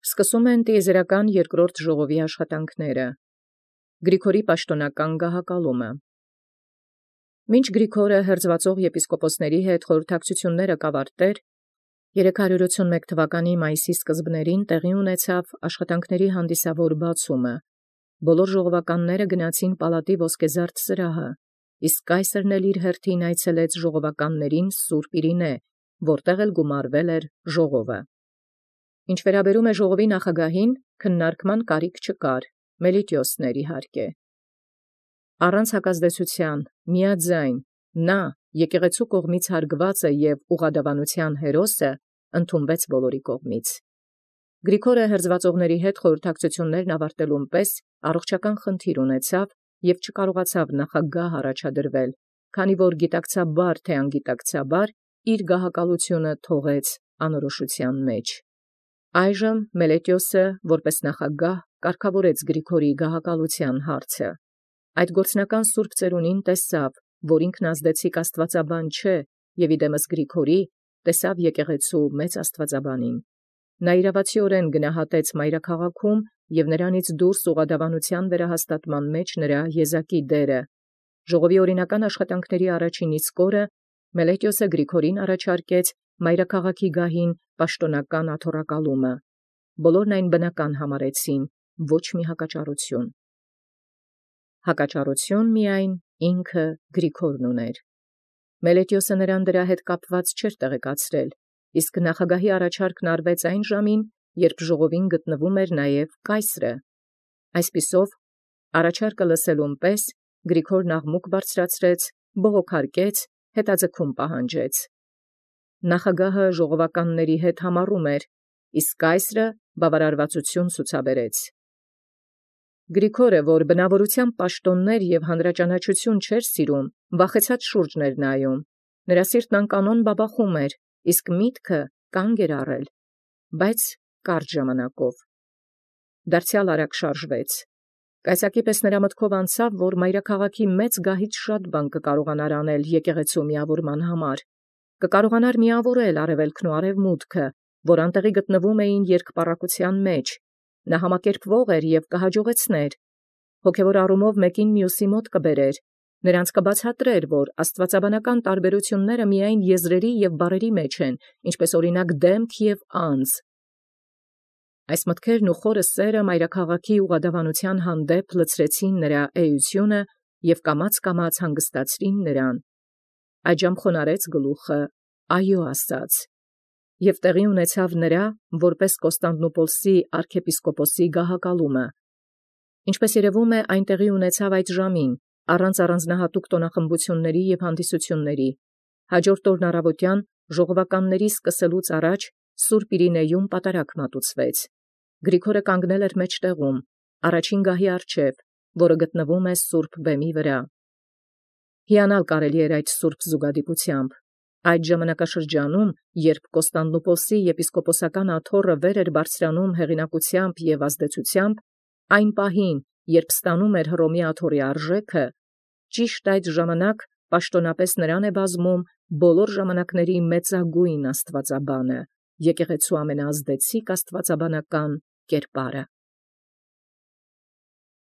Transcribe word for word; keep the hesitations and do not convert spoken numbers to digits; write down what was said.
Սկսում են տիեզերական երկրորդ ժողովի աշխատանքները։ Գրիգորի պաշտոնական գահակալումը։ Մինչ Գրիգորը հերձվածող եպիսկոպոսների հետ խորհրդակցությունները կավարտեր, երեք հարյուր ութսունմեկ թվականի մայիսի սկզբներին տեղի ունեցավ աշխատանքների հանդիսավոր բացումը։ Բոլոր ժողովականները գնացին պալատի ոսկեզարդ սրահը, իսկ կայսերն էլ իր հերթին այցելեց ժողովականներին սուրբ Իրինե, որտեղ էլ գումարվել էր ժողովը։ Ինչ վերաբերում է ժողովի նախագահին, քննարկման կարիք չկար, Մելիտիոսն էր իհարկե։ Առանց հակազդեցության, միաձայն, նա եկեղեցու կողմից հարգվածը եւ ուղղադավանության հերոսը ընդունվեց բոլորի կողմից։ Գրիգորը հերձվածողների հետ խորհրդակցություններն ավարտելուն պես առողջական խնդիր ունեցավ եւ չկարողացավ նախագահ առաջադրվել, քանի որ գիտակցաբար թե անգիտակցաբար իր գահակալությունը թողեց անորոշության մեջ։ Այժմ Մելետիոսը որպես նախագահ կարգավորեց Գրիգորի գահակալության հարցը։ Այդ գործնական սուրբ ծերունին տեսավ, որ ինքն ազդեցիկ աստվածաբան չէ, եւ իդեմս Գրիգորի տեսավ եկեղեցու մեծ աստվածաբանին։ Նա իրավացիորեն գնահատեց մայրաքաղաքում եւ նրանից դուրս ուղղադավանության վերահաստատման մեջ նրա եզակի դերը։ Ժողովի օրինական աշխատանքների առաջին իսկ օրը Մելետիոսը Գրիգորին առաջարկեց մայրաքաղաքի գահին պաշտոնական աթոռակալումը։ Բոլորն այն բնական համարեցին, ոչ մի հակաճառություն։ Հակաճառություն միայն ինքը Գրիգորն ուներ։ Մելետիոսը նրան դրա հետ կապված չէր տեղեկացրել, իսկ նախագահի առաջարկն արվեց այն ժամին, երբ ժողովին գտնվում էր նաև կայսրը։ Այսպիսով, առաջարկը լսելուն պես Գրիգորն աղմուկ բարձրացրեց, բողոքարկեց, հետաձգում պահանջեց։ Նախագահը ժողովականների հետ համառում էր, իսկ կայսրը բավարարվածություն ցուցաբերեց։ Գրիգորը, որ բնավորությամբ պաշտոններ եւ հանրաճանաչություն չէր սիրում, վախեցած շուրջն էր նայում։ Նրա սիրտն անկանոն բաբախում էր, իսկ միտքը կանգ էր առել, բայց կարճ ժամանակով։ Դարձյալ արագ շարժվեց։ Կայսակի պես նրա մտքով անցավ, որ մայրաքաղաքի մեծ գահից շատ բան կկարողանար անել եկեղեցու միավորման համար։ Կկարողանար միավորել արևելքն ու արևմուտքը, որ անտեղի գտնվում էին երկպառակության մեջ։ Նա համակերպվող էր եւ կհաջողեցներ։ Հոգևոր առումով մեկին մյուսի մոտ կբերեր, նրանց կբացատրեր, որ աստվածաբանական տարբերությունները միայն եզրերի եւ բառերի մեջ են, ինչպես օրինակ դեմք եւ անձ։ Այս մտքերն ու խորը սերը մայրաքաղաքի ուղղադավանության հանդեպ լցրեցին նրա էությունը եւ կամաց-կամաց հանգստացրին նրան։ Այժմ խոնարհեց գլուխը, այո ասաց, եւ տեղի ունեցավ նրա որպես Կոստանդնուպոլսի arczepiskoposi գահակալումը։ Ինչպես երևում է, այն տեղի ունեցավ այդ ժամին, առանց առանձնահատուկ տոնախմբությունների եւ հանդիսությունների։ Հաջորդ օրն առավոտյան ժողովականների սկսելուց առաջ Սուրբ Իրինեում պատարագ մատուցվեց։ Գրիգորը կանգնել էր մեջտեղում, առաջին գահի առջև, որը գտնվում է Սուրբ Բեմի վրա։ Հիանալ կարելի էր այդ սուրբ զուգադիպությամբ։ Այդ ժամանակաշրջանում, երբ Կոստանդնուպոլսի եպիսկոպոսական աթոռը վեր էր բարձրանում հեղինակությամբ եւ ազդեցությամբ, այն պահին, երբ ստանում էր Հռոմի աթոռի արժեքը, ճիշտ այդ ժամանակ պաշտոնապես նրան է բազում բոլոր ժամանակների մեծագույն աստվածաբանը, եկեղեցու ամենաազդեցիկ աստվածաբանական կերպարը։